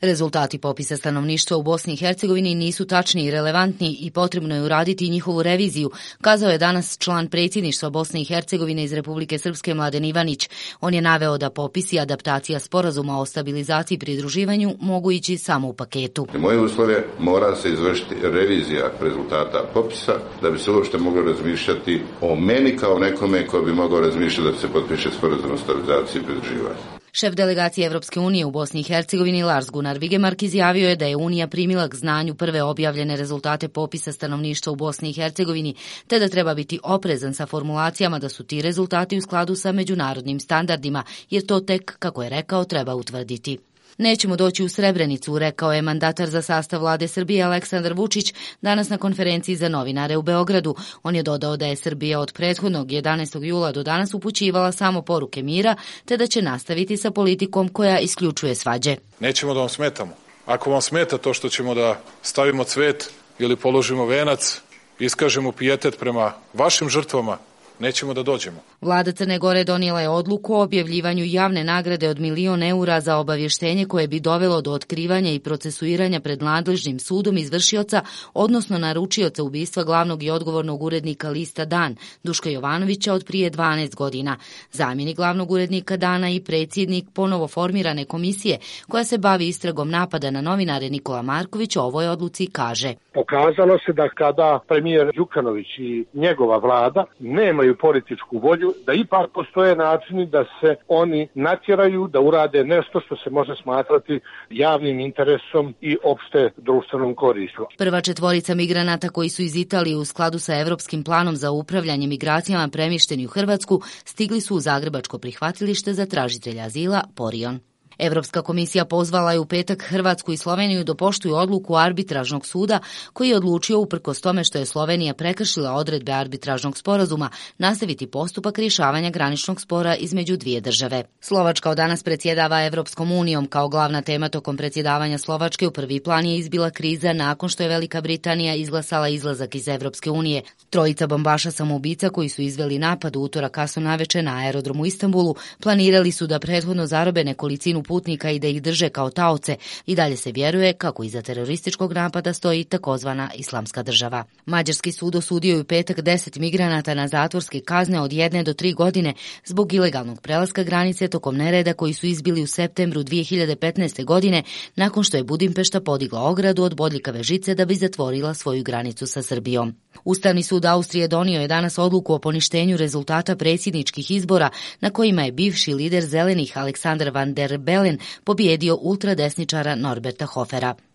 Rezultati popisa stanovništva u Bosni i Hercegovini nisu tačni i relevantni i potrebno je uraditi njihovu reviziju, kazao je danas član predsjedništva Bosne i Hercegovine iz Republike Srpske Mladen Ivanić. On je naveo da popis i adaptacija sporazuma o stabilizaciji i pridruživanju mogu ići samo u paketu. Moje uslove mora se izvršiti revizija rezultata popisa da bi se uopšte moglo razmišljati o meni kao nekome ko bi mogao razmišljati da se potpiše sporazum o stabilizaciji i pridruživanju. Šef delegacije Evropske unije u Bosni i Hercegovini Lars Gunnar Vigemark izjavio je da je Unija primila k znanju prve objavljene rezultate popisa stanovništva u Bosni i Hercegovini, te da treba biti oprezan sa formulacijama da su ti rezultati u skladu sa međunarodnim standardima, jer to tek, kako je rekao, treba utvrditi. Nećemo doći u Srebrenicu, rekao je mandatar za sastav vlade Srbije Aleksandar Vučić danas na konferenciji za novinare u Beogradu. On je dodao da je Srbija od prethodnog 11. jula do danas upućivala samo poruke mira, te da će nastaviti sa politikom koja isključuje svađe. Nećemo da vam smetamo. Ako vam smeta to što ćemo da stavimo cvet ili položimo venac, iskažemo pijetet prema vašim žrtvama, nećemo da dođemo. Vlada Crne Gore donijela je odluku o objavljivanju javne nagrade od 1.000.000 eura za obavještenje koje bi dovelo do otkrivanja i procesuiranja pred nadležnim sudom izvršioca, odnosno naručioca ubistva glavnog i odgovornog urednika lista Dan, Duška Jovanovića, od prije 12 godina. Zamjenik glavnog urednika Dana i predsjednik ponovo formirane komisije koja se bavi istragom napada na novinare Nikola Marković o ovoj odluci kaže: Pokazalo se da kada premijer Đukanović i njegova vlada nemaju političku volju, da ipak postoje načini da se oni natjeraju da urade nešto što se može smatrati javnim interesom i opšte društvenom koristom. Prva četvorica migranata koji su iz Italije u skladu sa Evropskim planom za upravljanje migracijama premješteni u Hrvatsku stigli su u zagrebačko prihvatilište za tražitelja azila Porion. Evropska komisija pozvala je u petak Hrvatsku i Sloveniju da poštuju odluku arbitražnog suda koji je odlučio, uprkos tome što je Slovenija prekršila odredbe arbitražnog sporazuma, nastaviti postupak rješavanja graničnog spora između dvije države. Slovačka od danas predsjedava Evropskom unijom. Kao glavna tema tokom predsjedavanja Slovačke u prvi plan je izbila kriza nakon što je Velika Britanija izglasala izlazak iz Evropske unije. Trojica bombaša samoubica koji su izveli napad u utorak kasno navečer na aerodromu u Istanbulu planirali su da prethodno zarobe nekolicinu putnika i da ih drže kao taoce. I dalje se vjeruje kako iza terorističkog napada stoji takozvana Islamska država. Mađarski sud osudio je u petak 10 migranata na zatvorske kazne od 1 do 3 godine zbog ilegalnog prelaska granice tokom nereda koji su izbili u septembru 2015. godine nakon što je Budimpešta podigla ogradu od bodljikave žice da bi zatvorila svoju granicu sa Srbijom. Ustavni sud Austrije donio je danas odluku o poništenju rezultata predsjedničkih izbora na kojima je bivši lider zelenih Aleksandar Van der Bellen pobijedio ultradesničara Norberta Hofera.